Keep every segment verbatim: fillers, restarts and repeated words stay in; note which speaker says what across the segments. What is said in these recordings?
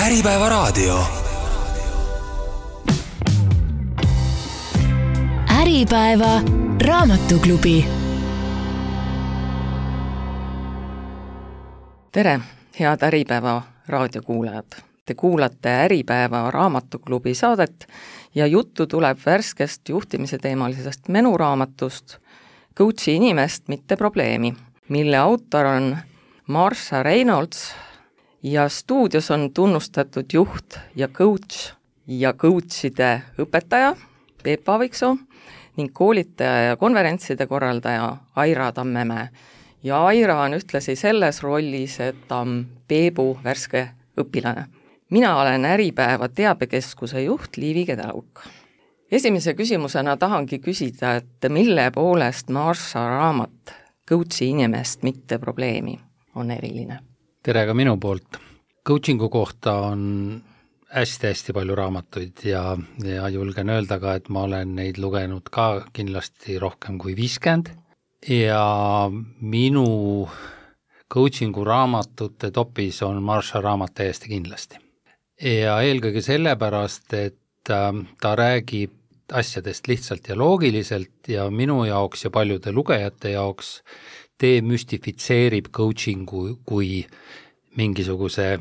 Speaker 1: Äripäeva raadio.
Speaker 2: Äripäeva raamatuklubi.
Speaker 3: Tere, head Äripäeva raadiokuulajad. Te kuulate Äripäeva raamatuklubi saadet ja juttu tuleb värskest juhtimise teemalisest menuraamatust Coachi inimest, mitte probleemi, mille autor on Marsha Reynolds ja stuudios on tunnustatud juht ja coach ja coachide õpetaja Peep Aaviksoo ning koolitaja ja konverentside korraldaja Aira Tammemäe. Ja Aira on ühtlasi selles rollis, et ta on Peebu värske õpilane. Mina olen Äripäeva teabekeskuse juht Liivi Kedelauk. Esimese küsimusena tahangi küsida, et mille poolest Marsha raamat Coachi inimest, mitte probleemi on eriline?
Speaker 4: Tere ka minu poolt. Coachingu kohta on hästi-hästi palju raamatuid ja, ja julgen öelda ka, et ma olen neid lugenud ka kindlasti rohkem kui viiskümmend ja minu coachingu raamatute topis on Marsha raamat täiesti kindlasti. Ja eelkõige sellepärast, et ta räägib asjadest lihtsalt ja loogiliselt ja minu jaoks ja paljude lugejate jaoks demüstifitseerib coachingu kui mingisuguse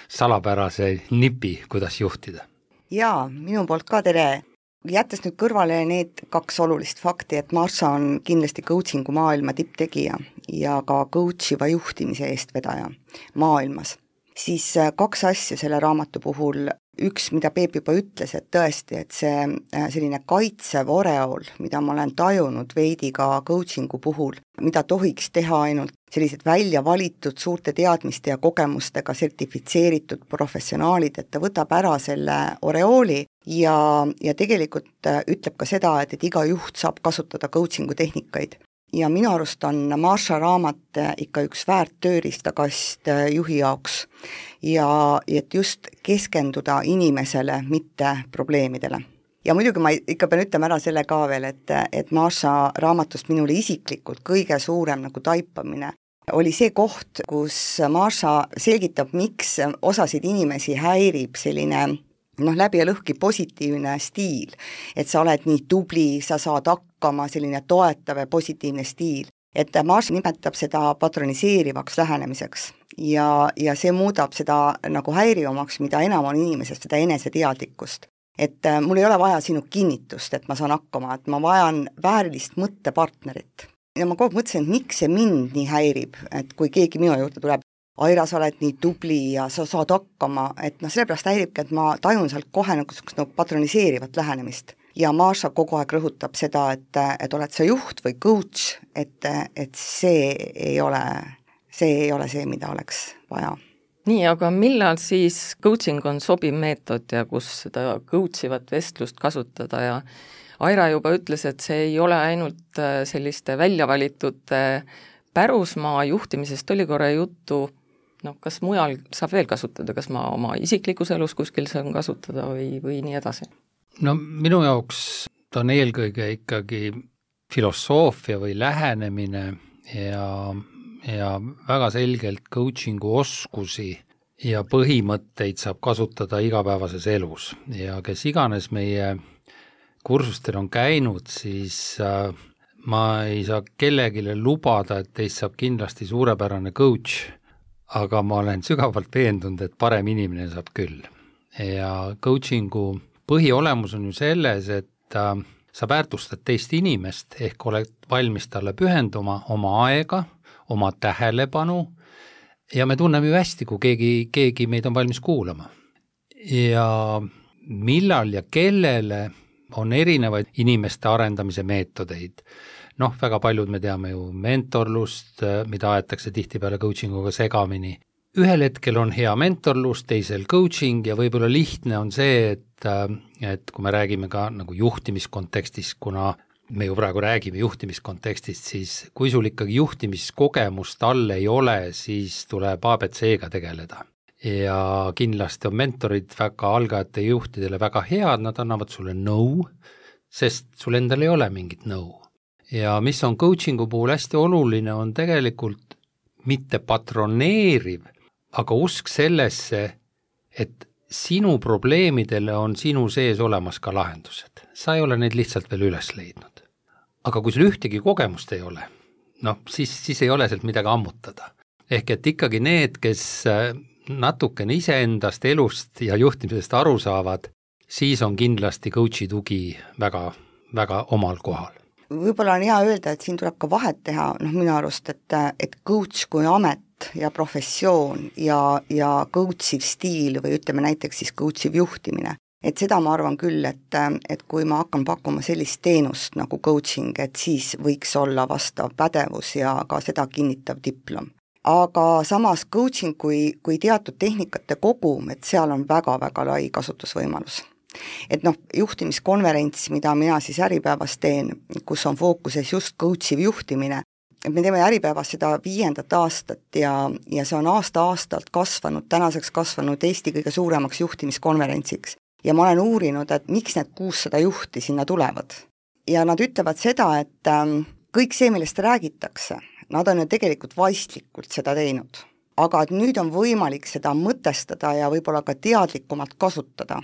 Speaker 4: salapärase nipi, kuidas juhtida.
Speaker 5: Jaa, minu poolt ka tere. Jättes nüüd kõrvale need kaks olulist fakti, et Marsha on kindlasti coachingu maailma tipptegija ja ka coachiva juhtimise eestvedaja maailmas, siis kaks asja selle raamatu puhul. Üks, mida Peep juba ütles, et tõesti, et see selline kaitsev oreol, mida ma olen tajunud veidi ka coachingu puhul, mida tohiks teha ainult sellised välja valitud suurte teadmiste ja kogemustega sertifitseeritud professionaalid, et ta võtab ära selle oreooli ja, ja tegelikult ütleb ka seda, et, et iga juht saab kasutada coachingu tehnikaid. Ja minu arust on Marsha raamat ikka üks väärt tööriistakast juhi jaoks ja et just keskenduda inimesele, mitte probleemidele. Ja muidugi ma ikka pean ütlema ära selle ka veel, et, et Marsha raamatust minule isiklikult kõige suurem nagu taipamine oli see koht, kus Marsha selgitab, miks osasid inimesi häirib selline noh, läbi ja lõhki positiivne stiil, et sa oled nii tubli, sa saad hakkama, selline toetav ja positiivne stiil. Et Marsha nimetab seda patroniseerivaks lähenemiseks ja, ja see muudab seda nagu häirivamaks, mida enam on inimesest, seda eneseteadlikkust. Et mul ei ole vaja sinu kinnitust, et ma saan hakkama, et ma vajan väärilist mõttepartnerit. Ja ma kogu mõtlesin, et miks see mind nii häirib, et kui keegi minu juurde tuleb, Aira, sa oled nii tubli ja sa saad hakkama, et noh, sellepärast häiribki, et ma tajun sealt kohe nagu, nagu patroniseerivat lähenemist. Ja Marsha kogu aeg rõhutab seda, et, et oled sa juht või coach, et, et see ei ole, see ei ole see, mida oleks vaja.
Speaker 3: Nii, aga millal siis coaching on sobiv meetod ja kus seda coachivat vestlust kasutada ja Aira juba ütles, et see ei ole ainult selliste väljavalitud pärusmaa juhtimisest oli korra juttu. No, kas mujal saab veel kasutada, kas ma oma isiklikus elus kuskil saan kasutada või, või nii edasi?
Speaker 4: No minu jaoks ta on eelkõige ikkagi filosoofia või lähenemine ja, ja väga selgelt coachingu oskusi ja põhimõtteid saab kasutada igapäevases elus ja kes iganes meie kursustel on käinud, siis äh, ma ei saa kellegile lubada, et teist saab kindlasti suurepärane coach, aga ma olen sügavalt veendunud, et parem inimene saab küll. Ja coachingu põhiolemus on ju selles, et äh, sa väärtustad teist inimest, ehk oled valmis talle pühenduma oma aega, oma tähelepanu ja me tunneme ju hästi, kui keegi, keegi meid on valmis kuulama. Ja millal ja kellele on erinevaid inimeste arendamise meetodeid. Noh, väga paljud me teame ju mentorlust, mida aetakse tihtipeale coachinguga segamini. Ühel hetkel on hea mentorlus, teisel coaching ja võib-olla lihtne on see, et, et kui me räägime ka nagu juhtimiskontekstis, kuna me ju praegu räägime juhtimiskontekstist, siis kui sul ikkagi juhtimiskogemust all ei ole, siis tuleb A B C-ga tegeleda. Ja kindlasti on mentorid väga algajate juhtidele väga head, nad annavad sulle nõu, sest sul endal ei ole mingit nõu. Ja mis on coachingu puhul hästi oluline, on tegelikult mitte patroneeriv, aga usk sellesse, et sinu probleemidele on sinu sees olemas ka lahendused. Sa ei ole neid lihtsalt veel üles leidnud. Aga kui sul ühtegi kogemust ei ole, noh, siis, siis ei ole sealt midagi ammutada. Ehk et ikkagi need, kes natukene iseendast, elust ja juhtimisest aru saavad, siis on kindlasti coachi tugi väga, väga omal kohal.
Speaker 5: Võib-olla on hea öelda, et siin tuleb ka vahet teha, noh minu arust, et, et coach kui amet ja professioon ja, ja coachiv stiil või ütleme näiteks siis coachiv juhtimine. Et seda ma arvan küll, et, et kui ma hakkan pakkuma sellist teenust nagu coaching, et siis võiks olla vastav pädevus ja ka seda kinnitav diplom. Aga samas coaching kui, kui teatud tehnikate kogum, et seal on väga-väga lai kasutusvõimalus. Et noh, juhtimiskonverents, mida mina siis Äripäevas teen, kus on fookuses just coachiv juhtimine, me teeme Äripäevas seda viiendat aastat ja, ja see on aasta-aastalt kasvanud, tänaseks kasvanud Eesti kõige suuremaks juhtimiskonverentsiks. Ja ma olen uurinud, et miks need kuussada juhti sinna tulevad. Ja nad ütlevad seda, et ähm, kõik see, millest räägitakse, nad on ju tegelikult vaistlikult seda teinud. Aga et nüüd on võimalik seda mõtestada ja võib-olla ka teadlikumalt kasutada.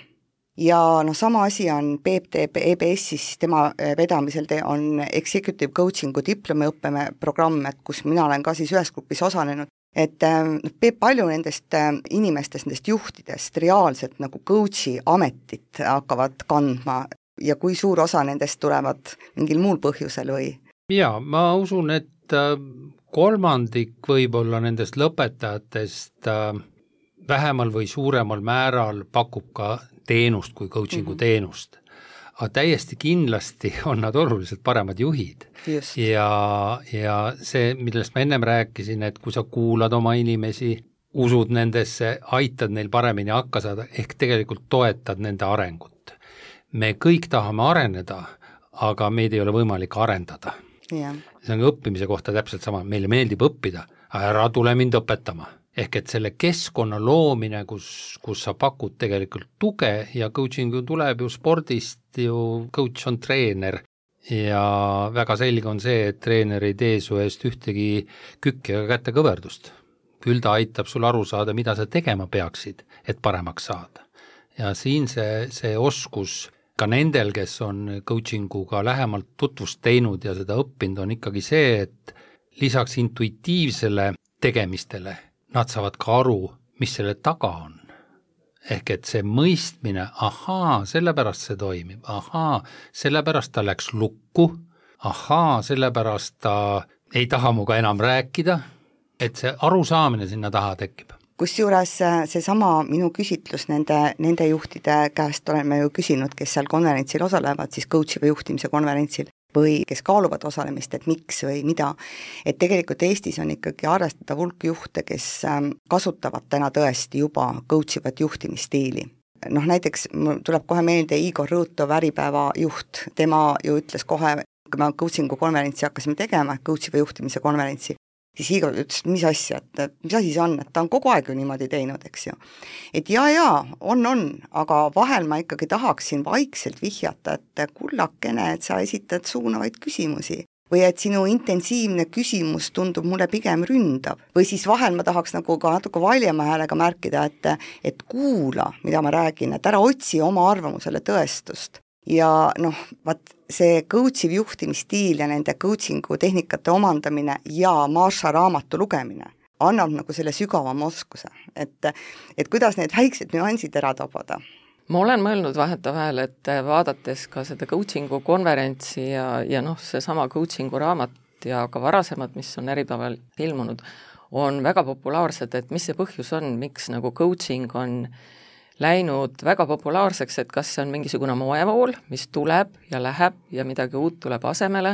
Speaker 5: Ja no sama asi on Peep teeb E B S-is, tema vedamisel te on Executive Coachingu diplomiõppeme programm, et kus mina olen ka siis ühes grupis osalenud, et Peep palju nendest inimestest, nendest juhtidest reaalselt nagu coachi ametit hakkavad kandma ja kui suur osa nendest tulevad mingil muul põhjusel või?
Speaker 4: Jaa, ma usun, et kolmandik võib-olla nendest lõpetajatest vähemal või suuremal määral pakub ka teenust kui coachingu mm-hmm. teenust. Aga täiesti kindlasti on nad oluliselt paremad juhid.
Speaker 5: Just.
Speaker 4: Ja, ja see, millest ma ennem rääkisin, et kui sa kuulad oma inimesi, usud nendesse, aitad neil paremini hakka saada, ehk tegelikult toetad nende arengut. Me kõik tahame areneda, aga meid ei ole võimalik arendada.
Speaker 5: Yeah.
Speaker 4: See on õppimise kohta täpselt sama, meile meeldib õppida, ära tule mind õpetama. Ehk et selle keskkonna loomine, kus, kus sa pakud tegelikult tuge ja coaching tuleb ju spordist, ju coach on treener ja väga selge on see, et treener ei tee su eest ühtegi kükki ega kätte kõverdust. Küll ta aitab sul aru saada, mida sa tegema peaksid, et paremaks saada. Ja siin see, see oskus ka nendel, kes on coachinguga lähemalt tutvust teinud ja seda õppinud, on ikkagi see, et lisaks intuitiivsele tegemistele nad saavad ka aru, mis selle taga on. Ehk et see mõistmine, ahaa, sellepärast see toimib, ahaa, sellepärast ta läks lukku, ahaa, sellepärast ta ei taha muga enam rääkida, et see arusaamine sinna taha tekib.
Speaker 5: Kusjuures see sama minu küsitlus nende, nende juhtide käest oleme ju küsinud, kes seal konverentsil osalevad, siis coachiva juhtimise konverentsil, või kes kaaluvad osalemist, et miks või mida, et tegelikult Eestis on ikkagi arvestatav hulk juhte, kes kasutavad täna tõesti juba coachivat juhtimisstiili. Noh, näiteks tuleb kohe meelde Igor Rõutov, Äripäeva juht, tema ju ütles kohe, kui me coachingu konverentsi hakkasime tegema, coachiva juhtimise konverentsi, siis Igor ütles, mis asja, et mis asi see on, et ta on kogu aeg ju niimoodi teinud, eks ju. Et jaa, jaa, on, on, aga vahel ma ikkagi tahaksin vaikselt vihjata, et kullakene, et sa esitad suunavaid küsimusi. Või et sinu intensiivne küsimus tundub mulle pigem ründav. Või siis vahel ma tahaks nagu ka natuke valjema häälega märkida, et, et kuula, mida ma räägin, et ära otsi oma arvamusele tõestust. Ja noh, vaat see coachiv juhtimisstiil ja nende coachingu tehnikate omandamine ja Marsha raamatu lugemine annab nagu selle sügavama oskuse, et, et kuidas need väiksed nüansid ära tabada.
Speaker 3: Ma olen mõelnud vahetavahel, et vaadates ka seda coachingu konverentsi ja, ja noh, see sama coachingu raamat ja ka varasemad, mis on Äripäeval ilmunud, on väga populaarsed, et mis see põhjus on, miks nagu coaching on läinud väga populaarseks, et kas see on mingisugune moevool, mis tuleb ja läheb ja midagi uut tuleb asemele,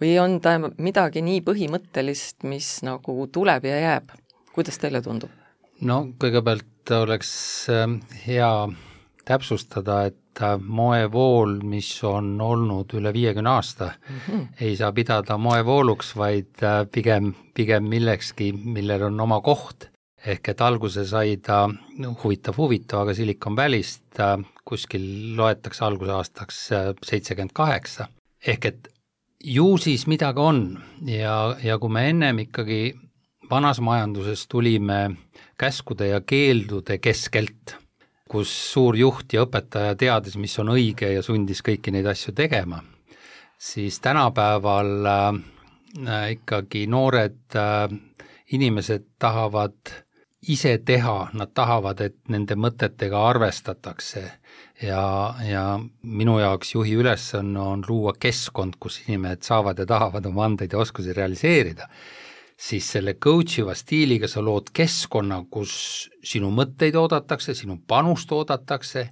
Speaker 3: või on ta midagi nii põhimõttelist, mis nagu tuleb ja jääb. Kuidas teile tundub?
Speaker 4: No kõigepealt oleks hea täpsustada, et moevool, mis on olnud üle viiekümne aasta, mm-hmm. ei saa pidada moevooluks, vaid pigem, pigem millekski, millel on oma koht. Ehk et alguse sai ta huvitav huvitav, aga Silicon Valley'st kuskil loetakse alguse aastaks seitsekümmend kaheksa. Ehk et ju siis midagi on ja, ja kui me ennem ikkagi vanas majanduses tulime käskude ja keeldude keskelt, kus suur juht ja õpetaja teadis, mis on õige ja sundis kõiki neid asju tegema, siis tänapäeval äh, ikkagi noored äh, inimesed tahavad ise teha, nad tahavad, et nende mõtetega arvestatakse ja, ja minu jaoks juhi ülesanne on luua keskkond, kus inimesed saavad ja tahavad oma andeid ja oskusi realiseerida, siis selle coachiva stiiliga sa lood keskkonna, kus sinu mõtteid oodatakse, sinu panust oodatakse,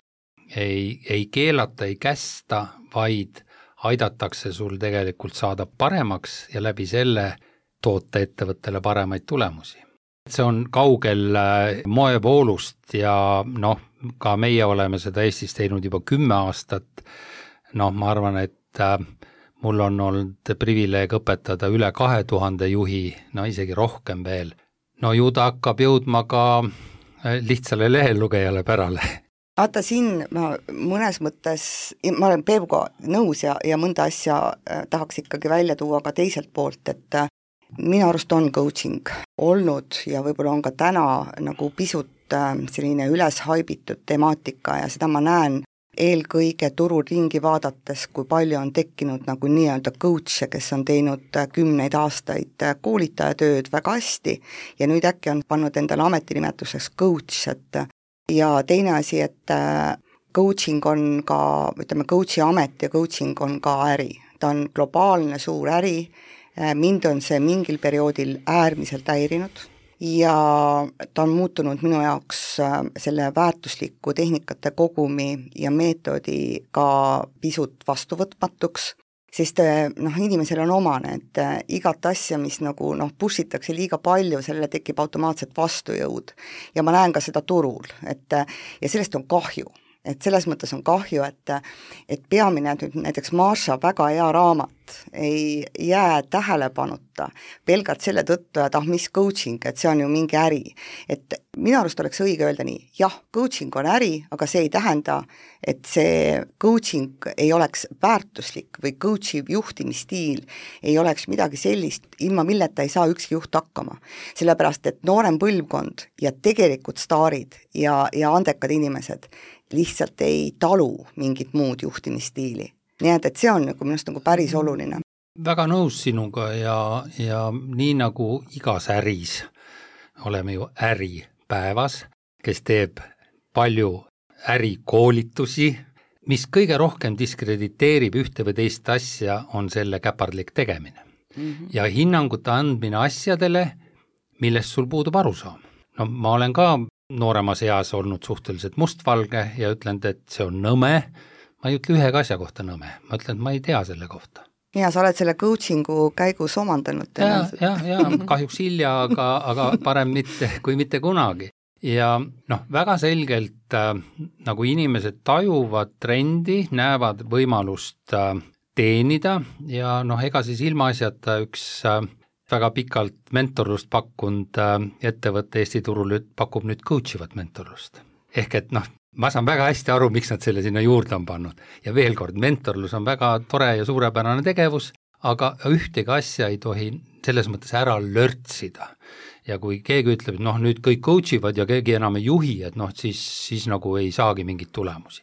Speaker 4: ei, ei keelata, ei kästa, vaid aidatakse sul tegelikult saada paremaks ja läbi selle toota ettevõttele paremaid tulemusi. See on kaugel moevoolust ja noh, ka meie oleme seda Eestis teinud juba kümme aastat. Noh, ma arvan, et mul on olnud privileeg õpetada üle kahe tuhande juhi, no isegi rohkem veel. No ju ta hakkab jõudma ka lihtsale lehelugejale pärale.
Speaker 5: Vaata siin ma mõnes mõttes, ma olen Peebuga nõus ja, ja mõnda asja tahaks ikkagi välja tuua ka teiselt poolt, et minu arust on coaching olnud ja võib-olla on ka täna nagu pisut selline üles haibitud temaatika ja seda ma näen eelkõige turul ringi vaadates, kui palju on tekkinud nagu nii-öelda coach'e, kes on teinud kümneid aastaid koolitajatööd väga hästi ja nüüd äkki on pannud endale ametinimetuseks coach, et ja teine asi, et coaching on ka, ütleme, coach'i amet ja coaching on ka äri. Ta on globaalne suur äri, mind on see mingil perioodil äärmiselt häirinud ja ta on muutunud minu jaoks selle väärtusliku tehnikate kogumi ja meetodi ka pisut vastuvõtmatuks, sest noh, inimesel on omane, et igat asja, mis nagu noh, pushitakse liiga palju, sellele tekib automaatselt vastujõud ja ma näen ka seda turul, et ja sellest on kahju. Et selles mõttes on kahju, et, et peamine nüüd näiteks Marsha väga hea raamat ei jää tähelepanuta pelgalt selle tõttu, et ah, mis coaching, et see on ju mingi äri. Et minu arust oleks õige öelda nii, jah, coaching on äri, aga see ei tähenda, et see coaching ei oleks väärtuslik või coachi juhtimisstiil ei oleks midagi sellist, ilma milleta ei saa ükski juht hakkama. Sellepärast, et noorem põlvkond ja tegelikult staarid ja, ja andekad inimesed lihtsalt ei talu mingit muud juhtimisstiili. Nii et, et see on nagu minust nagu päris oluline.
Speaker 4: Väga nõus sinuga ja, ja nii nagu igas äris oleme ju äripäevas, kes teeb palju ärikoolitusi, mis kõige rohkem diskrediteerib ühte või teist asja, on selle käpardlik tegemine. Mm-hmm. Ja hinnangute andmine asjadele, millest sul puudub arusaam. No ma olen ka nooremas eas olnud suhteliselt mustvalge ja ütlen, et see on nõme. Ma ei ütle ühega asja kohta nõme. Ma ütlen, et ma ei tea selle kohta.
Speaker 5: Ja sa oled selle coachingu käigus omandanud.
Speaker 4: Ja, ja, ja kahjuks hilja, aga, aga parem mitte kui mitte kunagi. Ja noh, väga selgelt äh, nagu inimesed tajuvad trendi, näevad võimalust äh, teenida ja noh, ega siis ilmaasjata üks äh, väga pikalt mentorlust pakkunud ettevõtte Eesti turul pakub nüüd coachivat mentorlust. Ehk et noh, ma saan väga hästi aru, miks nad selle sinna juurde on pannud. Ja veel kord, mentorlus on väga tore ja suurepärane tegevus, aga ühtegi asja ei tohi selles mõttes ära lörtsida. Ja kui keegi ütleb, et noh, nüüd kõik coachivad ja keegi enam ei juhi, et noh, siis, siis nagu ei saagi mingit tulemusi.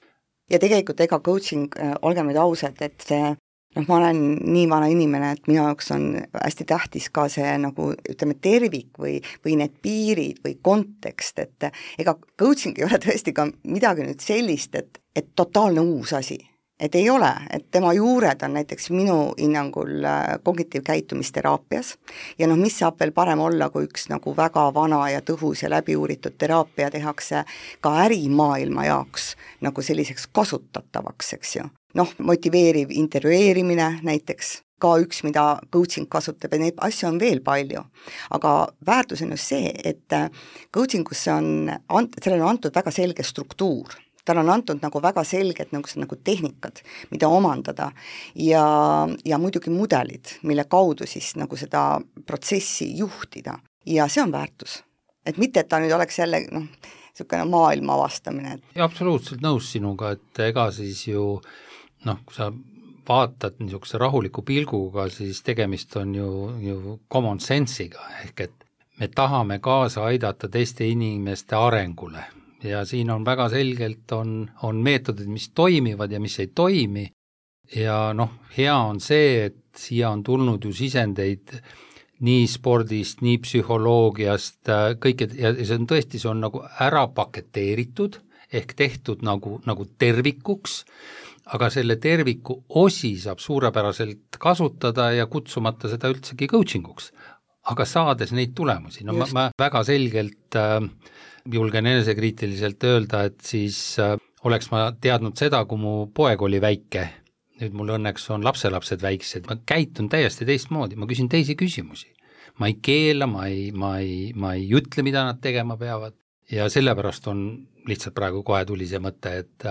Speaker 5: Ja tegelikult ega coaching, olgem nüüd ausad, et see noh, ma olen nii vana inimene, et minu jaoks on hästi tähtis ka see nagu ütleme tervik või, või need piirid või kontekst, et ega coaching ei ole tõesti ka midagi nüüd sellist, et, et totaalne uus asi. Et ei ole, et tema juured on näiteks minu hinnangul kognitiivkäitumisteraapias ja noh, mis saab veel parem olla, kui üks nagu väga vana ja tõhus ja läbiuuritud teraapia tehakse ka ärimaailma jaoks nagu selliseks kasutatavaks, eks ju. Noh, motiveeriv intervjueerimine näiteks, ka üks, mida coaching kasutab ja neid asju on veel palju. Aga väärtus on just see, et coachingusse on, sellele on antud väga selge struktuur. Tal on antud nagu väga selged nagu, nagu tehnikad, mida omandada ja, ja muidugi mudelid, mille kaudu siis nagu seda protsessi juhtida. Ja see on väärtus. Et mitte, et ta nüüd oleks jälle noh, niisugune maailma avastamine.
Speaker 4: Ja absoluutselt nõus sinuga, et ega siis ju noh, kui sa vaatad niisuguse rahuliku pilguga, siis tegemist on ju, ju common sense'iga, ehk et me tahame kaasa aidata teiste inimeste arengule ja siin on väga selgelt, on, on meetodid, mis toimivad ja mis ei toimi ja noh, hea on see, et siia on tulnud ju sisendeid nii spordist, nii psühholoogiast, kõik, ja see on tõesti, see on nagu ära paketeeritud, ehk tehtud nagu, nagu tervikuks, aga selle terviku osi saab suurepäraselt kasutada ja kutsumata seda üldsegi coachinguks, aga saades neid tulemusi. No ma, ma väga selgelt äh, julgen enesekriitiliselt öelda, et siis äh, oleks ma teadnud seda, kui mu poeg oli väike, nüüd mul õnneks on lapselapsed väiksed, ma käitun täiesti teistmoodi, ma küsin teisi küsimusi. Ma ei keela, ma ei, ma ei, ma ei ütle, mida nad tegema peavad ja sellepärast on lihtsalt praegu kohe tuli see mõte, et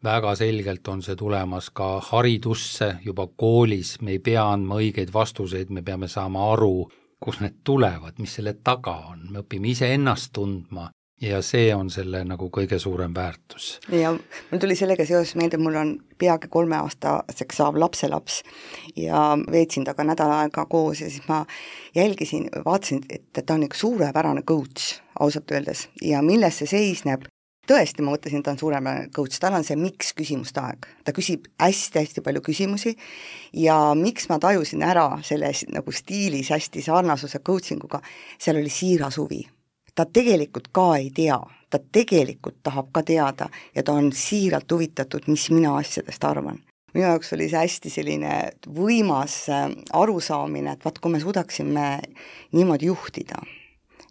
Speaker 4: väga selgelt on see tulemas ka haridusse juba koolis, me ei pea andma õigeid vastuseid, me peame saama aru, kus need tulevad, mis selle taga on, me õpime ise ennast tundma ja see on selle nagu kõige suurem väärtus.
Speaker 5: Ja mul tuli sellega seoses meelde, mul on peagi kolme aastaseks saav lapselaps ja veetsin taga nädal aega koos ja siis ma jälgisin, vaatasin, et ta on üks suurepärane coach, ausalt öeldes, ja milles see seisneb. Tõesti, ma mõtlesin, ta on suurepärane coach, tal on see miks küsimuste aeg. Ta küsib hästi-hästi palju küsimusi ja miks ma tajusin ära selles nagu stiilis hästi sarnasuse coachinguga, seal oli siiras huvi. Ta tegelikult ka ei tea, ta tegelikult tahab ka teada ja ta on siiralt huvitatud, mis mina asjadest arvan. Minu jaoks oli see hästi selline võimas arusaamine, et vaat kui me suudaksime niimoodi juhtida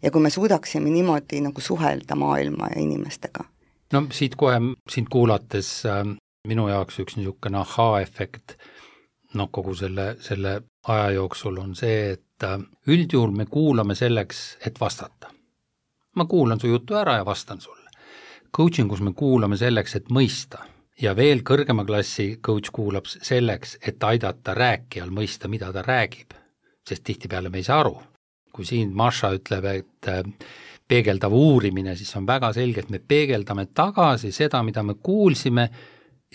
Speaker 5: ja kui me suudaksime niimoodi nagu suhelda maailma ja inimestega.
Speaker 4: No siit kohe, sind kuulates äh, minu jaoks üks niisugune ahaa-efekt no kogu selle, selle aja jooksul on see, et äh, üldjuhul me kuulame selleks, et vastata. Ma kuulan su jutu ära ja vastan sulle. Coachingus me kuulame selleks, et mõista ja veel kõrgema klassi coach kuulab selleks, et aidata rääkijal mõista, mida ta räägib, sest tihtipeale me ei saa aru. Kui siin Maša ütleb, et peegeldav uurimine, siis on väga selge, et me peegeldame tagasi seda, mida me kuulsime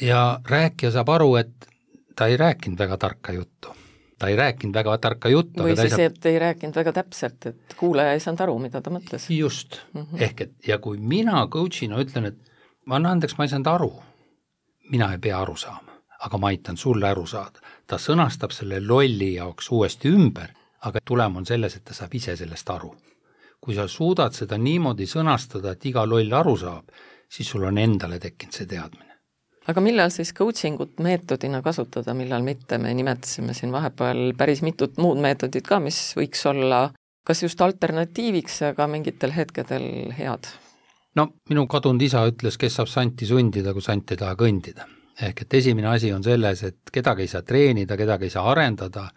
Speaker 4: ja rääkija saab aru, et ta ei rääkinud väga tarka juttu. Ta ei rääkinud väga tarka juttu.
Speaker 3: Või siis,
Speaker 4: saab...
Speaker 3: et ei rääkinud väga täpselt, et kuulaja ei saanud aru, mida ta mõtles.
Speaker 4: Just. Mm-hmm. Ehk et, ja kui mina coachina ütlen, et ma annan andeks, ma ei saanud aru, mina ei pea aru saama, aga ma aitan sulle aru saada. Ta sõnastab selle lolli jaoks uuesti ümber, aga tulem on selles, et ta saab ise sellest aru. Kui sa suudad seda niimoodi sõnastada, et iga loll aru saab, siis sul on endale tekkinud see teadmine.
Speaker 3: Aga millal siis coachingut meetodina kasutada, millal mitte, me nimetasime siin vahepeal päris mitut muud meetodit ka, mis võiks olla kas just alternatiiviks, aga mingitel hetkedel head?
Speaker 4: No minu kadunud isa ütles, kes saab santi sundida, kui sant ei taha kõndida. Ehk et esimene asi on selles, et kedagi ei saa treenida, kedagi ei saa arendada.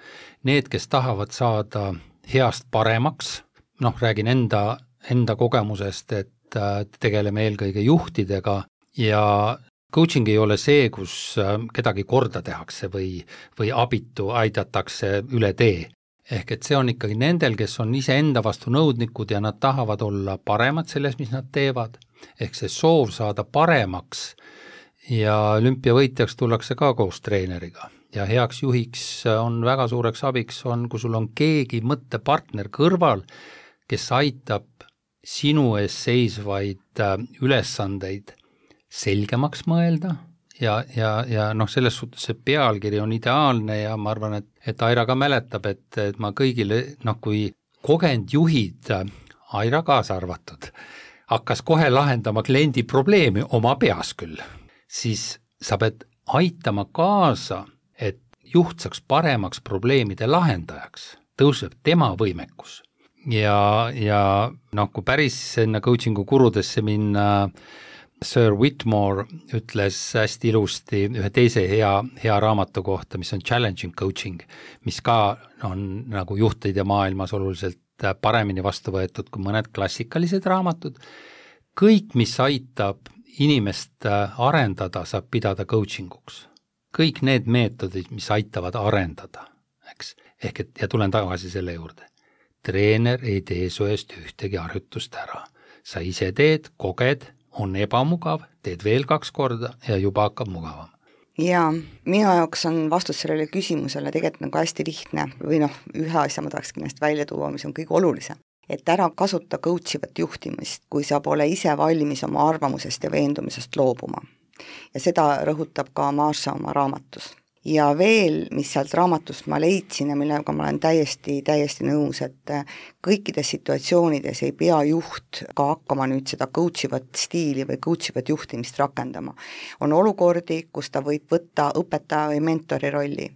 Speaker 4: Need, kes tahavad saada heast paremaks, noh, räägin enda, enda kogemusest, et tegeleme eelkõige juhtidega ja coaching ei ole see, kus kedagi korda tehakse või, või abitu aidatakse üle tee. Ehk et see on ikkagi nendel, kes on ise enda vastu nõudnikud ja nad tahavad olla paremad selles, mis nad teevad. Ehk see soov saada paremaks ja olümpiavõitjaks tullakse ka koos treeneriga. Ja heaks juhiks on väga suureks abiks, on, kui sul on keegi mõttepartner kõrval, kes aitab sinu ees seisvaid ülesandeid selgemaks mõelda ja, ja, ja noh, selles suhtes see pealkiri on ideaalne ja ma arvan, et, et Aira ka mäletab, et, et ma kõigile, noh kui kogenud juhid, Aira kaasa arvatud, hakkas kohe lahendama kliendi probleemi oma peas küll, siis sa pead aitama kaasa, et juht saaks paremaks probleemide lahendajaks, tõuseb tema võimekus. Ja, ja noh, kui päris enne coachingu kurudesse minna, Sir Whitmore ütles hästi ilusti ühe teise hea, hea raamatu kohta, mis on Challenging Coaching, mis ka on nagu juhtide maailmas oluliselt paremini vastu võetud kui mõned klassikalised raamatud. Kõik, mis aitab inimest arendada, saab pidada coachinguks. Kõik need meetodid, mis aitavad arendada, eks? Ehk et, ja tulen tagasi selle juurde. Treener ei tee su eest ühtegi harjutust ära. Sa ise teed, koged, on ebamugav, teed veel kaks korda ja juba hakkab mugavam.
Speaker 5: Ja minu jaoks on vastus sellele küsimusele tegelikult nagu hästi lihtne või noh, ühe asja ma tahaks kindlasti välja tuua, mis on kõige olulisem. et ära kasuta coachivat juhtimist, kui sa pole ise valmis oma arvamusest ja veendumisest loobuma. Ja seda rõhutab ka Marsha oma raamatus. Ja veel, mis sealt raamatust ma leidsin ja millega ma olen täiesti, täiesti nõus, et kõikides situatsioonides ei pea juht ka hakkama nüüd seda coachivat stiili või coachivat juhtimist rakendama. On olukordi, kus ta võib võtta õpetaja või mentori rolli.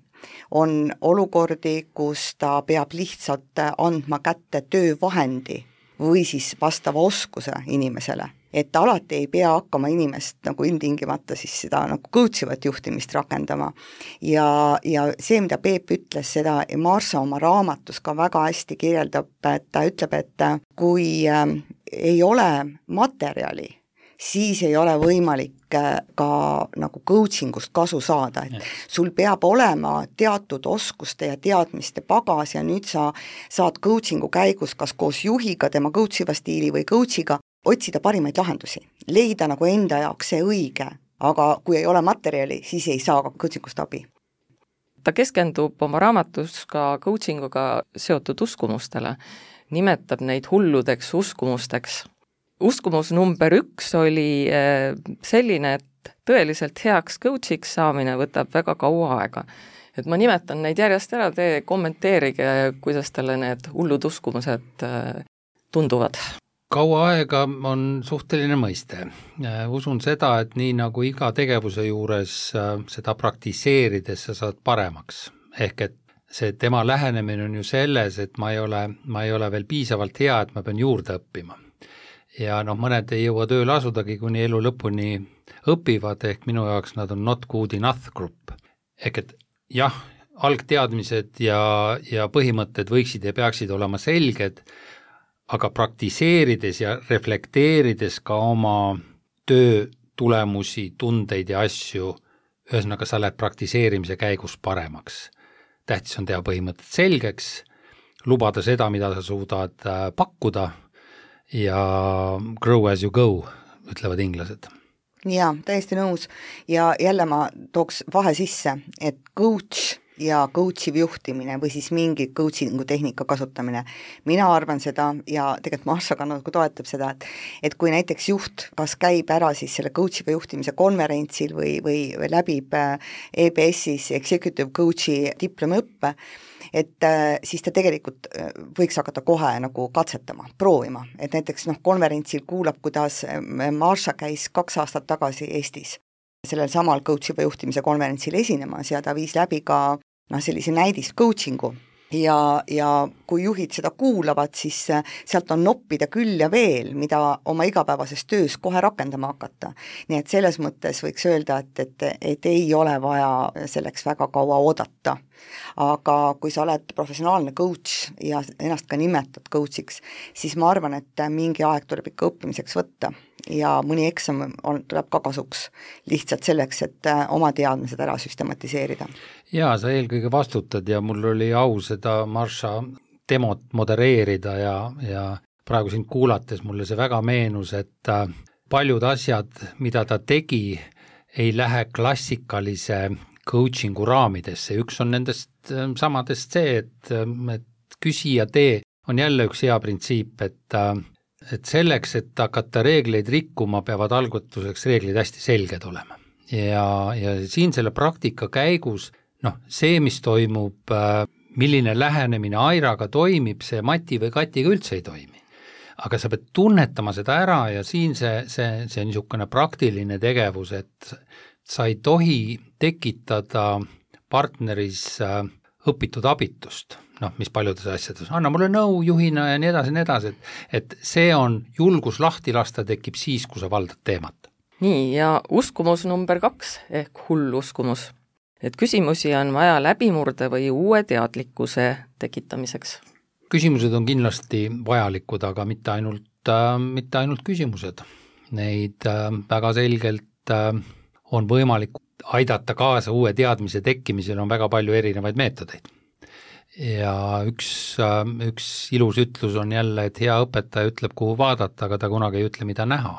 Speaker 5: On olukordi, kus ta peab lihtsalt andma kätte töövahendi või siis vastava oskuse inimesele. Et alati ei pea hakkama inimest nagu ilmtingimata siis seda nagu coachivat juhtimist rakendama. Ja, ja see, mida Peep ütles, seda Marsha oma raamatus ka väga hästi kirjeldab, et ta ütleb, et kui äh, ei ole materjali, siis ei ole võimalik ka nagu coachingust kasu saada, et sul peab olema teatud oskuste ja teadmiste pagas ja nüüd sa saad coachingu käigus kas koos juhiga, tema coachiva stiili või coachiga otsida parimaid lahendusi, leida nagu enda jaoks see õige, aga kui ei ole materjali, siis ei saa ka coachingust abi.
Speaker 3: Ta keskendub oma raamatus ka coachinguga seotud uskumustele, nimetab neid hulludeks uskumusteks. Uskumus number üks oli selline, et tõeliselt heaks coachiks saamine võtab väga kaua aega. Et ma nimetan neid järjest ära, te kommenteerige, kuidas talle need hullud uskumused tunduvad.
Speaker 4: Kaua aega on suhteline mõiste. Usun seda, et nii nagu iga tegevuse juures seda praktiseerides sa saad paremaks. Ehk et see tema lähenemine on ju selles, et ma ei ole, ma ei ole veel piisavalt hea, et ma pean juurde õppima. Ja noh, mõned ei jõua tööle asudagi, kuni elu lõpuni õpivad, ehk minu jaoks nad on not good enough group. Ehk et jah, algteadmised ja, ja põhimõtted võiksid ja peaksid olema selged, aga praktiseerides ja reflekteerides ka oma töö tulemusi, tundeid ja asju, ühesõnaga sa lähed praktiseerimise käigus paremaks. Tähtis on teha põhimõtted selgeks, lubada seda, mida sa suudad pakkuda ja grow as you go, ütlevad inglased.
Speaker 5: Jaa, täiesti nõus. Ja jälle ma tooks vahe sisse, et coach ja coachiv juhtimine või siis mingi coachingu tehnika kasutamine. Mina arvan seda ja tegelikult Marsha ka nagu toetab seda, et, et kui näiteks juht kas käib ära siis selle coachiva juhtimise konverentsil või, või läbib E B S-is executive coachi diplomiõppe, et siis ta tegelikult võiks hakata kohe nagu katsetama, proovima. Et näiteks noh, konverentsil kuulab, kuidas Marsha käis kaks aastat tagasi Eestis sellel samal coachiva juhtimise konverentsil esinemas ja ta viis läbi ka noh, sellise näidist coachingu ja, ja kui juhid seda kuulavad, siis sealt on noppida küll ja veel, mida oma igapäevases töös kohe rakendama hakata. Nii et selles mõttes võiks öelda, et, et, et ei ole vaja selleks väga kaua oodata. Aga kui sa oled professionaalne coach ja ennast ka nimetad coachiks, siis ma arvan, et mingi aeg tuleb ikka õppimiseks võtta ja mõni eksam on, tuleb ka kasuks lihtsalt selleks, et oma teadmised ära süstematiseerida.
Speaker 4: Jaa, sa eelkõige vastutad ja mul oli au seda Marsha demot modereerida ja, ja praegu sind kuulates mulle see väga meenus, et paljud asjad, mida ta tegi, ei lähe klassikalise coachingu raamidesse. Üks on nendest samadest see, et, et küsija tee on jälle üks hea printsiip, et, et selleks, et hakata reegleid rikkuma, peavad algutuseks reeglid hästi selged olema. Ja, ja siin selle praktika käigus, noh, see, mis toimub, milline lähenemine Airaga toimib, see Mati või Katiga üldse ei toimi. Aga sa pead tunnetama seda ära ja siin see, see, see niisugune praktiline tegevus, et sa ei tohi tekitada partneris õpitud abitust, noh, mis paljudes asjades, anna mulle nõu juhina ja nii edasi, nii edasi, et, et see on julgus lahti lasta tekib siis, kui sa valdad teemat.
Speaker 3: Nii, ja uskumus number kaks ehk hull uskumus. Et küsimusi on vaja läbimurde või uue teadlikkuse tekitamiseks.
Speaker 4: Küsimused on kindlasti vajalikud, aga mitte ainult, äh, mitte ainult küsimused. Neid äh, väga selgelt äh, on võimalik aidata kaasa uue teadmise tekkimisel, on väga palju erinevaid meetodeid. Ja üks, üks ilus ütlus on jälle, et hea õpetaja ütleb, kuhu vaadata, aga ta kunagi ei ütle, mida näha.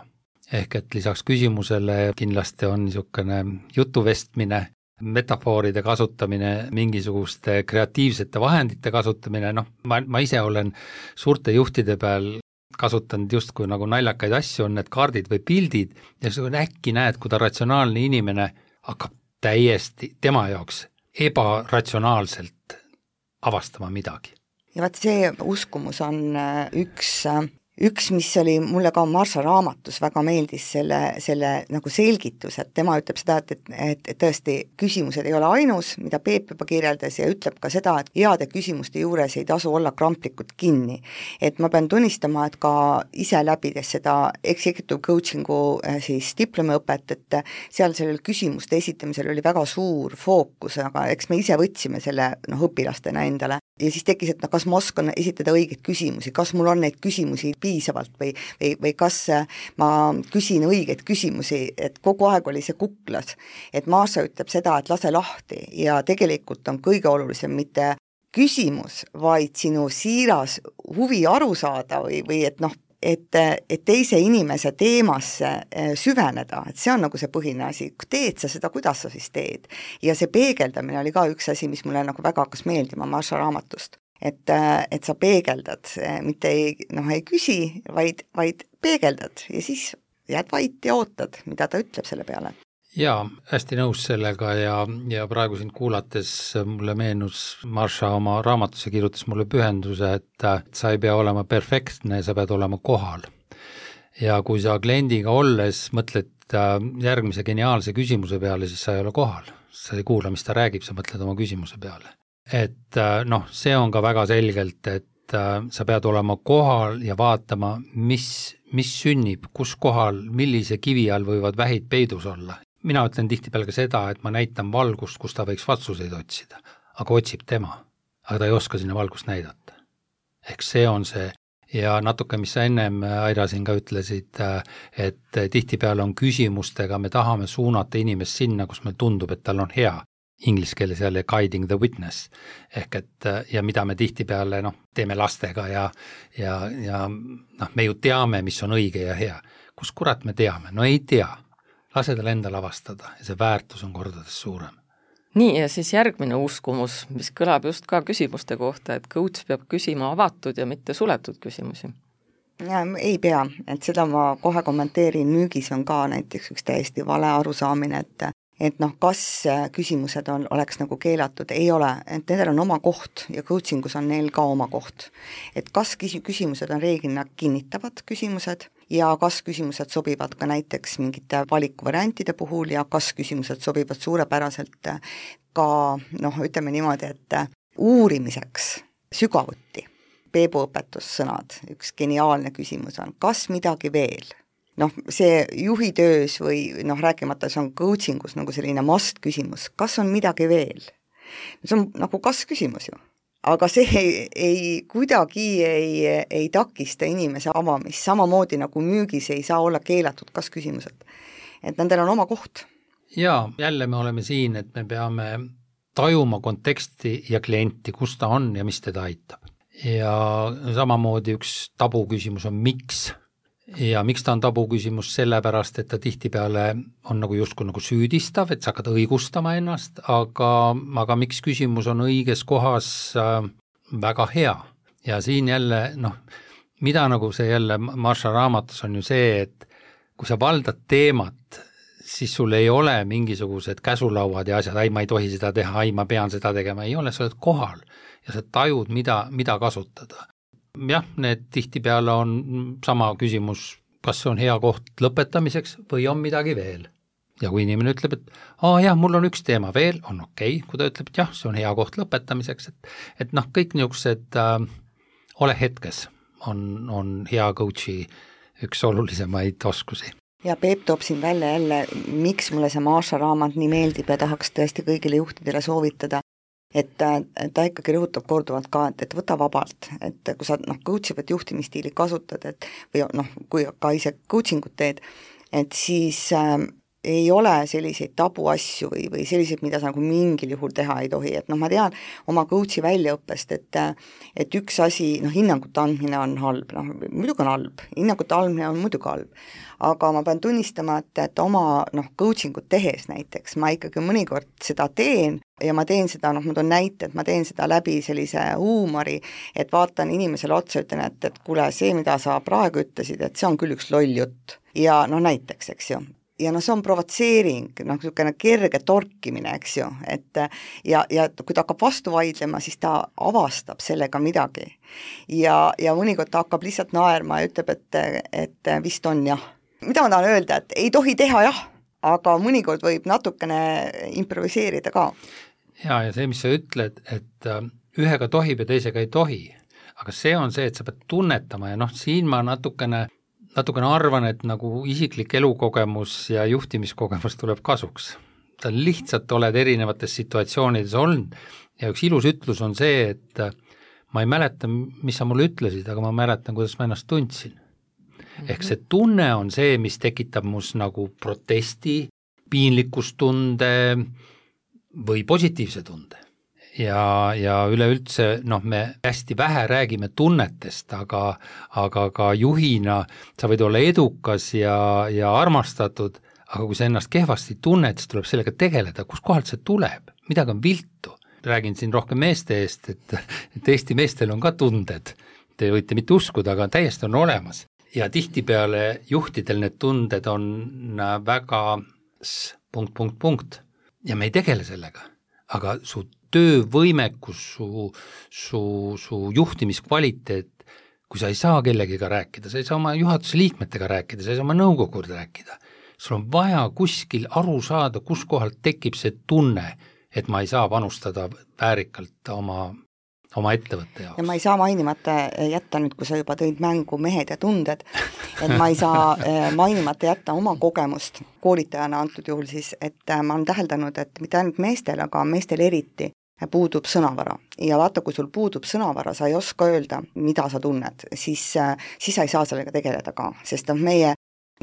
Speaker 4: Ehk et lisaks küsimusele kindlasti on niisugune jutuvestmine metafooride kasutamine, mingisuguste kreatiivsete vahendite kasutamine, noh, ma, ma ise olen suurte juhtide peal kasutanud justkui nagu naljakaid asju, on need kaardid või pildid ja sa äkki näed, kui ta ratsionaalne inimene hakkab täiesti tema jaoks ebaratsionaalselt avastama midagi.
Speaker 5: Ja vaat see uskumus on üks, üks, mis oli mulle ka Marsha raamatus väga meeldis selle, selle nagu selgitus, et tema ütleb seda, et, et, et tõesti küsimused ei ole ainus, mida Peep juba kirjeldas ja ütleb ka seda, et heade küsimuste juures ei tasu olla kramplikult kinni. Et ma pean tunnistama, et ka ise läbides seda executive coachingu siis diplomiõpet, et seal sellel küsimuste esitamisel oli väga suur fookus, aga eks me ise võtsime selle noh, õpilastena endale. Ja siis tekkis, et no, kas ma oskan esitada õigeid küsimusi, kas mul on neid küsimusi piisavalt või, või, või kas ma küsin õigeid küsimusi, et kogu aeg oli see kuklas. Et Marsha ütleb seda, et lase lahti ja tegelikult on kõige olulisem mitte küsimus, vaid sinu siiras huvi aru saada või, või et noh, et, et teise inimese teemasse süveneda, et see on nagu see põhine asi, kui teed sa seda, kuidas sa siis teed. Ja see peegeldamine oli ka üks asi, mis mulle nagu väga hakkas meeldima Marsha raamatust, et, et sa peegeldad, mitte ei, noh, ei küsi, vaid, vaid peegeldad ja siis jääd vait ja ootad, mida ta ütleb selle peale.
Speaker 4: Jaa, hästi nõus sellega ja, ja praegu sind kuulates mulle meenus, Marsha oma raamatusse kirjutas mulle pühenduse, et sa ei pea olema perfektne, sa pead olema kohal. Ja kui sa kliendiga olles mõtled järgmise geniaalse küsimuse peale, siis sa ei ole kohal. Sa ei kuula, mis ta räägib, sa mõtled oma küsimuse peale. Et noh, see on ka väga selgelt, et sa pead olema kohal ja vaatama, mis, mis sünnib, kus kohal, millise kivi all võivad vähid peidus olla. Mina ütlen tihtipeale ka seda, et ma näitan valgust, kus ta võiks vastuseid otsida, aga otsib tema, aga ta ei oska sinna valgust näidata. Ehk see on see, ja natuke, mis sa ennem, Aira, siin ka ütlesid, et tihtipeale on küsimustega, me tahame suunata inimest sinna, kus meil tundub, et tal on hea. Inglise keeles jälle guiding the witness. Ehk et, ja mida me tihtipeale noh, teeme lastega ja, ja, ja noh, me ju teame, mis on õige ja hea. Kus kurat me teame? No ei tea. Lase tal endal avastada ja see väärtus on kordades suurem.
Speaker 3: Nii, ja siis järgmine uskumus, mis kõlab just ka küsimuste kohta, et coach peab küsima avatud ja mitte suletud küsimusi.
Speaker 5: Ja, ei pea, et seda ma kohe kommenteerin, müügis on ka näiteks üks täiesti vale arusaamine, et et noh, kas küsimused on, oleks nagu keelatud, ei ole, et nendel on oma koht ja coachingus on neil ka oma koht. Et kas küsimused on reeglina kinnitavad küsimused ja kas küsimused sobivad ka näiteks mingite valikuvariantide puhul ja kas küsimused sobivad suurepäraselt ka, noh, ütleme niimoodi, et uurimiseks sügavuti. Peebu õpetussõnad, üks geniaalne küsimus on, kas midagi veel? Noh, see juhitöös või noh, rääkimata see on coachingus nagu selline must küsimus, kas on midagi veel? See on nagu kas küsimus ju, aga see ei, ei kuidagi ei, ei takista inimese avamist, samamoodi nagu müügis ei saa olla keelatud kas küsimused. Et nendel on oma koht.
Speaker 4: Jaa, jälle me oleme siin, et me peame tajuma konteksti ja klienti, kus ta on ja mis teda aitab. Ja samamoodi üks tabu küsimus on miks. Ja miks ta on tabu küsimus sellepärast, et ta tihtipeale on nagu justkui nagu süüdistav, et sa hakkad õigustama ennast, aga, aga miks küsimus on õiges kohas äh, väga hea. Ja siin jälle, noh, mida nagu see jälle Marsha raamatus on ju see, et kui sa valdad teemat, siis sul ei ole mingisugused käsulauad ja asjad, ai ma ei tohi seda teha, ai ma pean seda tegema, ei ole, sa oled kohal ja sa tajud, mida, mida kasutada. Jah, need tihtipeale on sama küsimus, kas see on hea koht lõpetamiseks või on midagi veel. Ja kui inimene ütleb, et aa jah, mul on üks teema veel, on okei, kui ta ütleb, et jah, see on hea koht lõpetamiseks, et, et noh, kõik niisugused äh, ole hetkes on, on hea coachi üks olulisemaid oskusi.
Speaker 5: Ja Peep toob siin välja jälle, miks mulle see Marsha raamat nii meeldib ja tahaks tõesti kõigile juhtidele soovitada, et ta ikkagi rõhutab korduvalt ka, et, et võta vabalt, et kui sa noh, coachivat juhtimisstiili kasutad, et või noh, kui ka ise coachingut teed, et siis äh, ei ole selliseid tabuasju või, või selliseid, mida sa nagu mingil juhul teha ei tohi, et noh, ma tean oma coach'i väljaõppest, et et üks asi, noh, hinnangute andmine on halb, noh, muidugi on halb, hinnangute andmine on muidugi halb, aga ma pean tunnistama, et, et oma noh, coaching ut tehes näiteks ma ikkagi mõnikord seda teen ja ma teen seda, noh, ma toon näite, et ma teen seda läbi sellise huumori, et vaatan inimesele otsa, ütlen, et, et kuule, see, mida sa praegu ütlesid, et see on küll üks loll jutt. Ja no näiteks, eks ju. Ja no see on provotseering, noh, niisugune kerge torkimine, eks ju, et ja, ja kui ta hakkab vastu vaidlema, siis ta avastab sellega midagi. Ja, ja mõnikord ta hakkab lihtsalt naerma ja ütleb, et, et vist on jah. Mida ma tahan öelda, et ei tohi teha jah, aga mõnikord võib natukene improviseerida ka.
Speaker 4: Ja, ja see, mis sa ütled, et ühega tohib ja teisega ei tohi, aga see on see, et sa pead tunnetama ja noh, siin ma natukene natukene arvan, et nagu isiklik elukogemus ja juhtimiskogemus tuleb kasuks. sa lihtsalt oled erinevates situatsioonides olnud ja üks ilus ütlus on see, et ma ei mäleta, mis sa mulle ütlesid, aga ma mäletan, kuidas ma ennast tundsin. Mm-hmm. Ehk see tunne on see, mis tekitab mus nagu protesti, piinlikkustunde või positiivse tunde. Ja, ja üleüldse, noh, me hästi vähe räägime tunnetest, aga, aga ka juhina sa võid olla edukas ja, ja armastatud, aga kui sa ennast kehvasti tunned, siis tuleb sellega tegeleda, kus kohalt see tuleb, midagi on viltu. Räägin siin rohkem meeste eest, et, et Eesti meestel on ka tunded, te võite mitte uskuda, aga täiesti on olemas. Ja tihtipeale juhtidel need tunded on väga punkt, punkt, punkt ja me ei tegele sellega, aga su töövõimekus, su, su, su juhtimiskvaliteet, kui sa ei saa kellegiga rääkida, sa ei saa oma juhatuse liikmetega rääkida, sa ei saa oma nõukogud rääkida, sul on vaja kuskil aru saada, kus kohalt tekib see tunne, et ma ei saa panustada väärikalt oma, oma ettevõtte jaoks.
Speaker 5: Ja ma ei saa mainimata jätta nüüd, kui sa juba tõid mängu mehed ja tunded, et ma ei saa mainimata jätta oma kogemust koolitajana antud juhul siis, et ma olen täheldanud, et mitte ainult meestel, aga meestel eriti puudub sõnavara. Ja vaata, kui sul puudub sõnavara, sa ei oska öelda, mida sa tunned, siis, siis sa ei saa sellega tegeleda ka, sest meie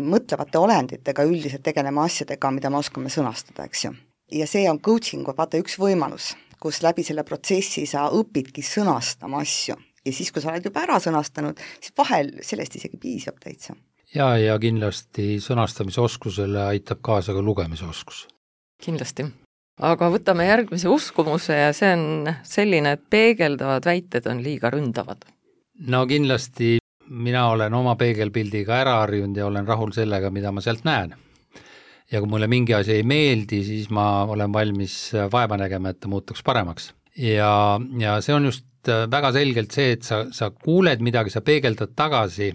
Speaker 5: mõtlevate olenditega üldiselt tegelema asjadega, mida me oskame sõnastada, eks ju. Ja see on coaching, vaata üks võimalus, kus läbi selle protsessi sa õpidki sõnastama asju. Ja siis, kui sa oled juba ära sõnastanud, siis vahel sellest isegi piisab täitsa.
Speaker 4: Ja, ja kindlasti sõnastamise oskusele aitab kaasa ka lugemise oskus.
Speaker 3: Kindlasti. Aga võtame järgmise uskumuse ja see on selline, et peegeldavad väited on liiga ründavad.
Speaker 4: No kindlasti mina olen oma peegelpildiga ära harjunud ja olen rahul sellega, mida ma sealt näen. Ja kui mulle mingi asi ei meeldi, siis ma olen valmis vaeva nägema, et ta muutuks paremaks. Ja, ja see on just väga selgelt see, et sa, sa kuuled midagi, sa peegeldad tagasi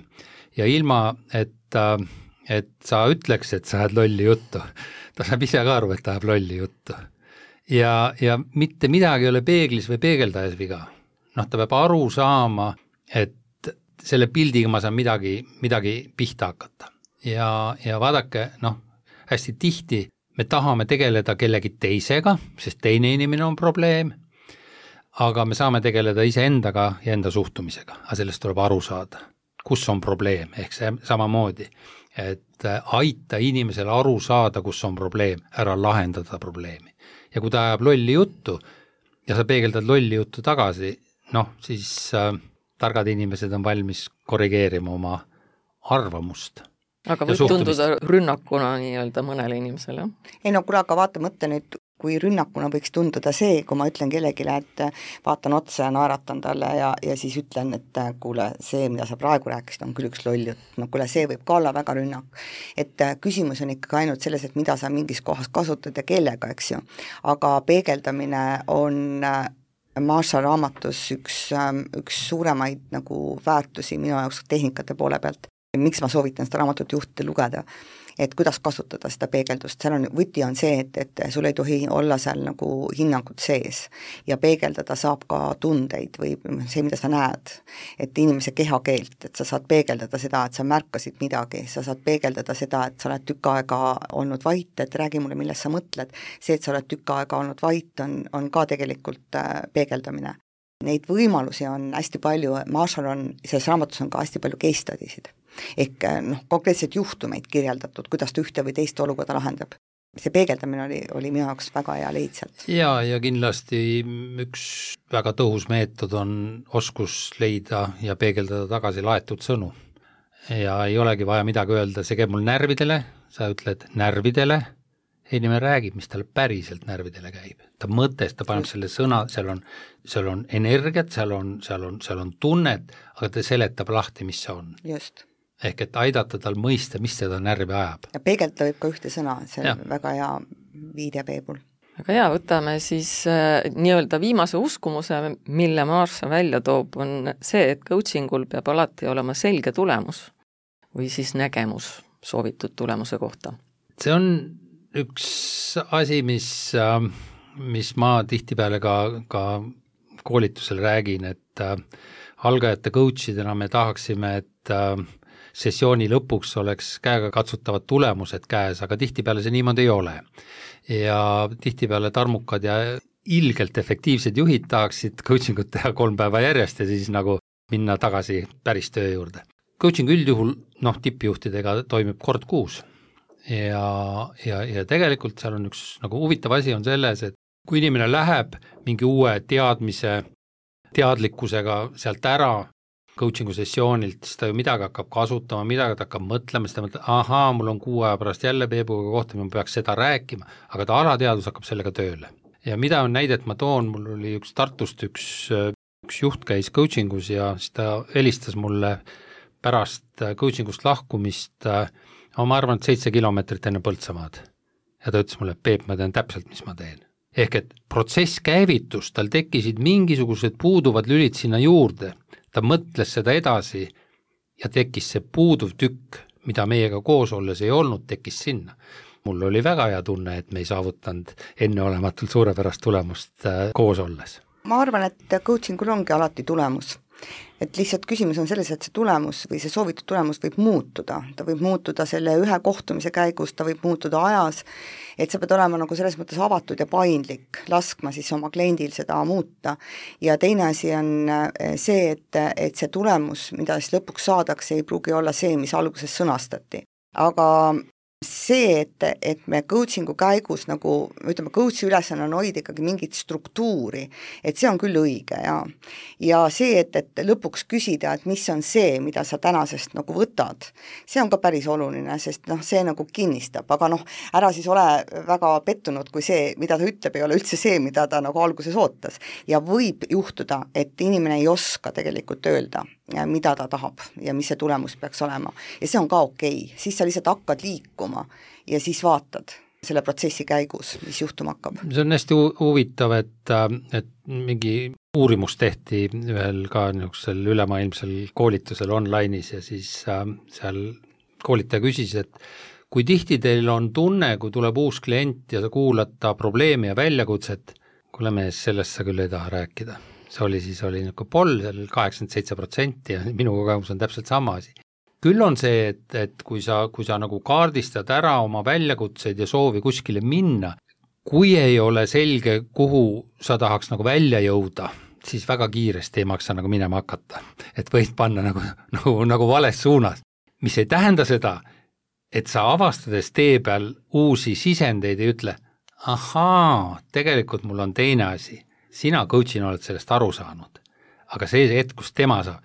Speaker 4: ja ilma, et, et sa ütleks, et sa ajad lolli juttu. Ta saab ise ka aru, et ta ajab lolli juttu. Ja, ja mitte midagi ei ole peeglis või peegeldajas viga. Noh, ta peab aru saama, et selle pildiga ma saan midagi, midagi pihta hakata. Ja, ja vaadake, noh, hästi tihti me tahame tegeleda kellegi teisega, sest teine inimene on probleem, aga me saame tegeleda iseendaga ja enda suhtumisega, aga sellest tuleb aru saada, kus on probleem, ehk see samamoodi, et aita inimesele aru saada, kus on probleem, ära lahendada probleemi. Ja kui ta ajab lolli juttu ja sa peegeldad lolli juttu tagasi, noh, siis äh, targad inimesed on valmis korrigeerima oma arvamust.
Speaker 3: Aga võib tunduda rünnakuna nii-öelda mõnele inimesele?
Speaker 5: Ei no kuule, aga vaata mõtte nüüd, kui rünnakuna võiks tunduda see, kui ma ütlen kellegile, et vaatan otsa ja naeratan talle ja, ja siis ütlen, et kuule, see, mida sa praegu rääkisid, on küll üks loll jutt. No kuule, see võib ka olla väga rünnak. Et küsimus on ikkagi ainult selles, et mida sa mingis kohas kasutad ja kellega, eks ju. Aga peegeldamine on Marshall raamatus üks, üks suuremaid nagu väärtusi minu jaoks tehnikate poole pealt. Miks ma soovitan seda raamatut juhtide lugeda, et kuidas kasutada seda peegeldust, seal on, võti on see, et, et sul ei tohi olla seal nagu hinnangud sees ja peegeldada saab ka tundeid või see, mida sa näed, et inimese kehakeelt, et sa saad peegeldada seda, et sa märkasid midagi, sa saad peegeldada seda, et sa oled tükk aega olnud vait, et räägi mulle, millest sa mõtled, see, et sa oled tükk aega olnud vait, on, on ka tegelikult peegeldamine. Neid võimalusi on hästi palju, Marshall on, selles raamatus on ka hästi palju case studisid. ehk noh, konkreetselt juhtumeid kirjeldatud, kuidas ta ühte või teist olukorda lahendab. See peegeldamine oli, oli minu jaoks väga hea leidselt.
Speaker 4: Ja, ja kindlasti üks väga tõhus meetod on oskus leida ja peegeldada tagasi laetud sõnu. Ja ei olegi vaja midagi öelda, see käib mul närvidele, sa ütled närvidele, inimene räägib, mis talle päriselt närvidele käib. Ta mõttes, ta paneb selle sõna, seal on, seal on energiat, seal on, seal on, seal on tunnet, aga ta seletab lahti, mis see on.
Speaker 5: Just.
Speaker 4: Ehk et aidata tal mõista, mis seda närvi ajab.
Speaker 5: Ja peegelda võib ka ühte sõna, see on väga hea viide Peebul.
Speaker 3: Aga hea, võtame siis äh, nii-öelda viimase uskumuse, mille Marsa välja toob, on see, et coachingul peab alati olema selge tulemus või siis nägemus soovitud tulemuse kohta. See
Speaker 4: on üks asi, mis, äh, mis ma tihtipeale ka, ka koolitusel räägin, et äh, algajate coachidena me tahaksime, et äh, sessiooni lõpuks oleks käega katsutavad tulemused käes, aga tihtipeale see niimoodi ei ole. Ja tihtipeale tarmukad ja ilgelt efektiivsed juhid tahaksid coachingut teha kolm päeva järjest ja siis nagu minna tagasi päris töö juurde. Coaching üldjuhul, noh, tippjuhtidega toimub kord kuus. Ja, ja, ja tegelikult seal on üks nagu huvitav asi on selles, et kui inimene läheb mingi uue teadmise, teadlikkusega sealt ära, coachingu sessioonilt, siis ta ju midagi hakkab kasutama, midagi ta hakkab mõtlema, siis ta mõtleb, ahaa, mul on kuu aja pärast jälle Peebuga kohta, ma peaks seda rääkima, aga ta alateadus hakkab sellega tööle. Ja mida on näidet ma toon, mul oli üks Tartust üks, üks juht käis coachingus ja siis ta helistas mulle pärast coachingust lahkumist, ma arvan, et seitse kilomeetrit enne Põltsamaad. Ja ta ütles mulle, Peep, ma tean täpselt, mis ma teen. Ehk et protsess käivitus, tal tekkisid mingisugused puuduvad lülid sinna juurde, ta mõtles seda edasi ja tekkis see puuduv tükk, mida meiega koos olles ei olnud, tekkis sinna. Mul oli väga hea tunne, et me ei saavutanud enneolematult suurepärast tulemust koos olles.
Speaker 5: Ma arvan, et coachingul ongi alati tulemus. Et lihtsalt küsimus on selles, et see tulemus või see soovitud tulemus võib muutuda. Ta võib muutuda selle ühe kohtumise käigus, ta võib muutuda ajas, et sa pead olema nagu selles mõttes avatud ja paindlik, laskma siis oma kliendil seda muuta. Ja teine asi on see, et, et see tulemus, mida siis lõpuks saadakse, ei pruugi olla see, mis alguses sõnastati. Aga see, et, et me coachingu käigus nagu, ütleme, coachi ülesanne on hoida ikkagi mingit struktuuri, et see on küll õige ja, ja see, et, et lõpuks küsida, et mis on see, mida sa tänasest nagu võtad, see on ka päris oluline, sest noh, see nagu kinnistab, aga noh, ära siis ole väga pettunud, kui see, mida ta ütleb, ei ole üldse see, mida ta nagu alguses ootas. Ja võib juhtuda, et inimene ei oska tegelikult öelda, mida ta tahab ja mis see tulemus peaks olema. Ja see on ka okei, siis sa lihtsalt hakkad liikuma ja siis vaatad selle protsessi käigus, mis juhtuma hakkab.
Speaker 4: See on hästi huvitav, et, et mingi uurimus tehti ühel ka niisugusel ülemaailmsel koolitusel online'is ja siis äh, seal koolitaja küsis, et kui tihti teil on tunne, kui tuleb uus klient ja sa kuulad ta probleemi ja väljakutset, kuule mees, sellest sa küll ei taha rääkida. See oli siis oli nagu poll, seal kaheksakümmend seitse protsenti ja minu kogemus on täpselt sama asi. Küll on see, et, et kui sa, kui sa nagu kaardistad ära oma väljakutseid ja soovi kuskile minna, kui ei ole selge, kuhu sa tahaks nagu välja jõuda, siis väga kiiresti ei maksa nagu minema hakata. Et võid panna nagu, nagu, nagu vales suunas. Mis ei tähenda seda, et sa avastades tee peal uusi sisendeid ei ütle, ahaa, tegelikult mul on teine asi. Sina coachina oled sellest aru saanud, aga see hetk, kus tema saab,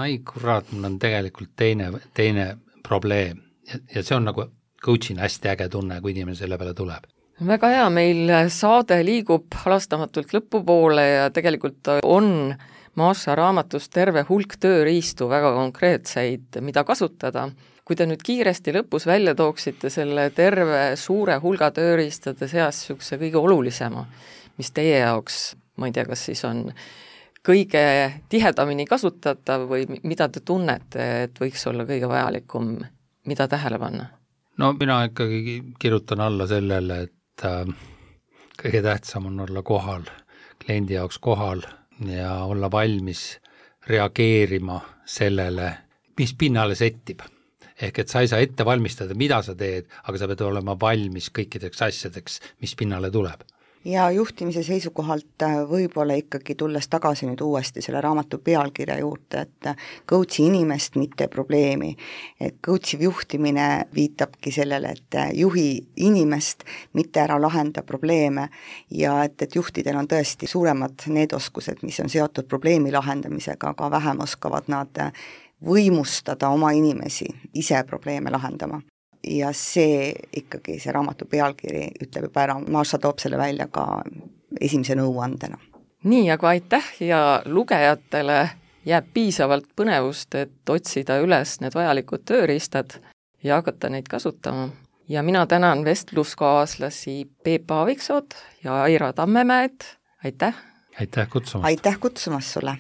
Speaker 4: ai kurat, mul on tegelikult teine, teine probleem ja, ja see on nagu coachina hästi äge tunne, kui inimene selle peale tuleb.
Speaker 3: Väga hea, meil saade liigub halastamatult lõpupoole ja tegelikult on Marsa raamatus terve hulk tööriistu väga konkreetseid, mida kasutada. Kui te nüüd kiiresti lõpus välja tooksite selle terve suure hulga tööriistade seas niisuguse kõige olulisema, mis teie jaoks, ma ei tea, kas siis on kõige tihedamini kasutatav või mida te tunnete, et võiks olla kõige vajalikum, mida tähele panna?
Speaker 4: No mina ikkagi kirjutan alla sellele, et äh, kõige tähtsam on olla kohal, kliendi jaoks kohal ja olla valmis reageerima sellele, mis pinnale settib. Ehk et sa ei saa ette valmistada, mida sa teed, aga sa pead olema valmis kõikideks asjadeks, mis pinnale tuleb.
Speaker 5: ja juhtimise seisukohalt võib-olla ikkagi tulles tagasi nüüd uuesti selle raamatu pealkirja juurde, et coach'i inimest, mitte probleemi. Et coach'iv juhtimine viitabki sellele, et juhi inimest, mitte ära lahenda probleeme ja et, et juhtidel on tõesti suuremad need oskused, mis on seotud probleemi lahendamisega, aga vähem oskavad nad võimustada oma inimesi ise probleeme lahendama. Ja see ikkagi, see raamatu pealkiri ütleb juba ära, Maša toob selle välja ka esimese nõuandena.
Speaker 3: Nii, aga aitäh ja lugejatele jääb piisavalt põnevust, et otsida üles need vajalikud tööriistad ja hakata neid kasutama. Ja mina tänan vestluskaaslasi Peep Aaviksood ja Aira Tammemäed. Aitäh!
Speaker 4: Aitäh kutsumast!
Speaker 5: Aitäh kutsumast sulle!